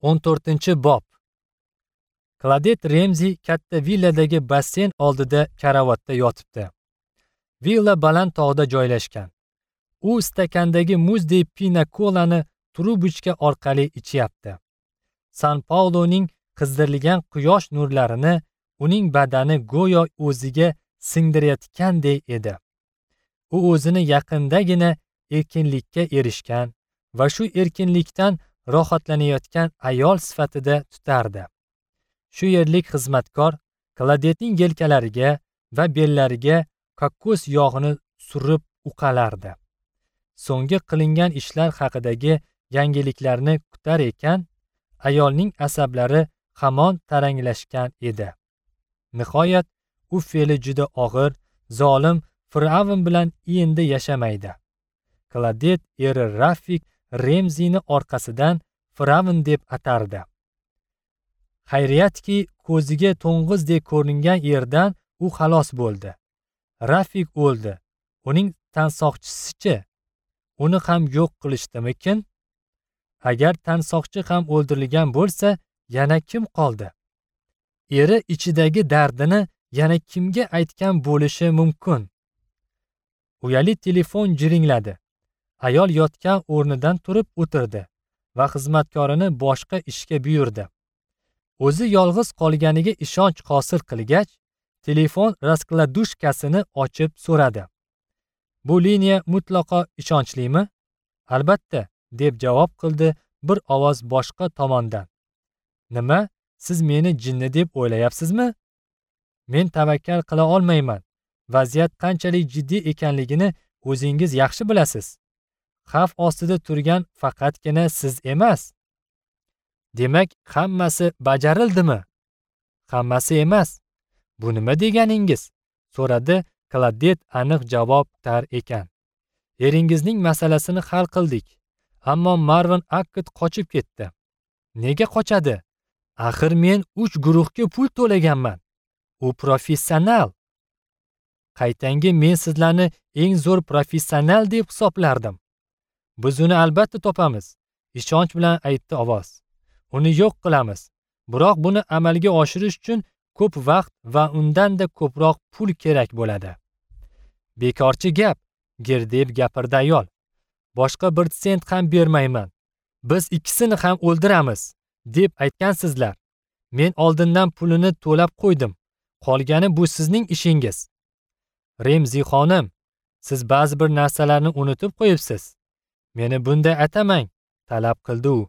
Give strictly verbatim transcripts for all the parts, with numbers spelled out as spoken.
o'n to'rtinchi bob. Klodet Remzi katta villadagi basseyn oldida karavotda yotibdi. Villa baland tog'da joylashgan. U stakandagi muzdek pina kolani trubochka orqali ichyapti. San Pauloning qizdirilgan quyosh nurlarini uning badani go'yo o'ziga singdirayotgandek edi. U o'zini yaqindagina erkinlikka erishgan va shu erkinlikdan rohatlanayotgan ayol sifatida tutardi. Shu yerlik xizmatkor Klodetning yelkalariga va bellariga kokos yog'ini surib uqalardi. So'nggi qilingan ishlar haqidagi yangiliklarni kutar ekan, ayolning asablari hamon taranglashgan edi. Nihoyat u fe'li juda og'ir, zolim fir'avn bilan endi yashamaydi. Klodet eri Rafik Remzini orqasidan fir'avn deb atardi. Xayriyatki, ko'ziga to'ng'izdek ko'ringan yerdan u xalos bo'ldi. Rafik o'ldi. Uning tansoqchisichi? Uni ham yo'q qilishdimikin? Agar tansoqchi ham o'ldirilgan bo'lsa, yana kim qoldi? Eri ichidagi dardini yana kimga aytgan bo'lishi mumkin? Uyali telefon jiringladi. Ayol yotgan o'rnidan turib o'tirdi va xizmatkorini boshqa ishga buyurdi. O'zi yolg'iz qolganiga ishonch hosil qilgach, telefon raskladushkasini ochib so'radi. Bu liniya mutlaqo ishonchlimi? Albatta, deb javob qildi bir ovoz boshqa tomondan. Nima, siz meni jinni deb o'ylayapsizmi? Men tavakkal qila olmayman. Vaziyat qanchalik jiddiy ekanligini o'zingiz yaxshi bilasiz. Xavf ostida turgan faqatgina siz emas. Demak, hammasi bajarildimi? Hammasi emas. Bu nima deganingiz? So'radi Klodet aniq javob tar ekan. Eringizning masalasini hal qildik. Ammo Marvin Akkad qochib ketdi. Nega qochadi? Axir men uch guruhga pul to'laganman. U professional. Qaytangi men sizlarni eng zo'r professional deb hisoblardim. Biz uni albatta topamiz, ishonch bilan aytdi ovoz. Uni yo'q qilamiz. Biroq buni amalga oshirish uchun ko'p vaqt va undan-da ko'proq pul kerak bo'ladi. Bekorchi gap, gerdeb gapirdi ayol. Boshqa bir sent ham bermayman. Biz ikkisini ham o'ldiramiz, deb aytgansizlar. Men oldindan pulini to'lab qo'ydim. Qolgani bu sizning ishingiz. Remzi xonim, siz ba'zi bir narsalarni unutib qo'yibsiz. Meni bunday atamang, talab qildi u.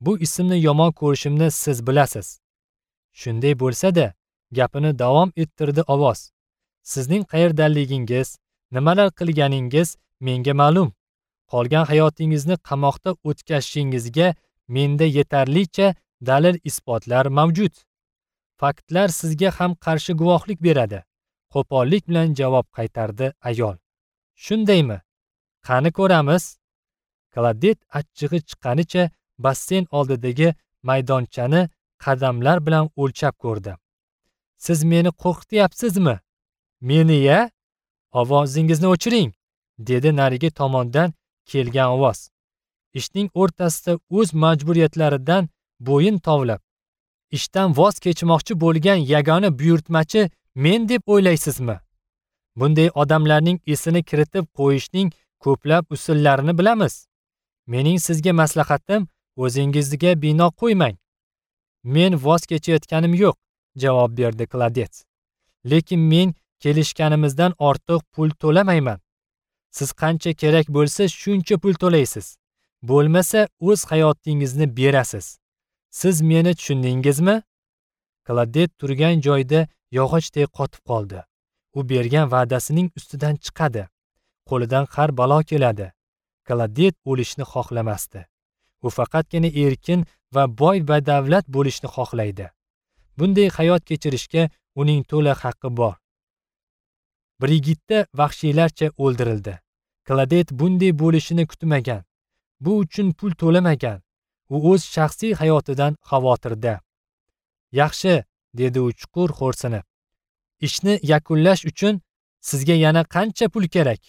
Bu ismni yomon ko'rishimni siz bilasiz. Shunday bo'lsa-da, gapini davom ettirdi ovoz. Sizning qayerdanligingiz, nimalar qilganingiz menga ma'lum. Qolgan hayotingizni qamoqda o'tkazishingizga menda yetarlicha dalil isbotlar mavjud. Faktlar sizga ham qarshi guvohlik beradi. Qo'pollik bilan javob qaytardi ayol. Shundaymi? Qani ko'ramiz? Klodet achchig'i chiqqanicha basseyn oldidagi maydonchani qadamlar bilan o'lchab ko'rdi. Siz meni qo'rqityapsizmi? Meni-ya? Ovozingizni o'chiring, dedi narigi tomondan kelgan ovoz. Ishning o'rtasida o'z majburiyatlaridan bo'yin tovlab, ishdan voz kechmoqchi bo'lgan yagona buyurtmachi men deb o'ylaysizmi? Bunday odamlarning esini kiritib qo'yishning ko'plab usullarini bilamiz. Mening sizga maslahatim, o'zingizga bino qo'ymang. Men voz kechayotganim yo'q, javob berdi Klodet. Lekin men kelishganimizdan ortiq pul to'lamayman. Siz qancha kerak bo'lsa shuncha pul to'laysiz. Bo'lmasa o'z hayotingizni berasiz. Siz meni tushundingizmi? Klodet turgan joyida yog'ochdek qotib qoldi. U bergan va'dasining ustidan chiqadi. Qo'lidan har balo keladi. Klodet o'lishni xohlamasdi. U faqatgina erkin va boy badavlat bo'lishni xohlaydi. Bunday hayot kechirishga uning to'la haqqi bor. Brigitta vahshiylarcha o'ldirildi. Klodet bunday bo'lishini kutmagan. Bu uchun pul to'lamagan. U o'z shaxsiy hayotidan xavotirda. Yaxshi, dedi u chuqur xo'rsinib. Ishni yakunlash uchun sizga yana qancha pul kerak?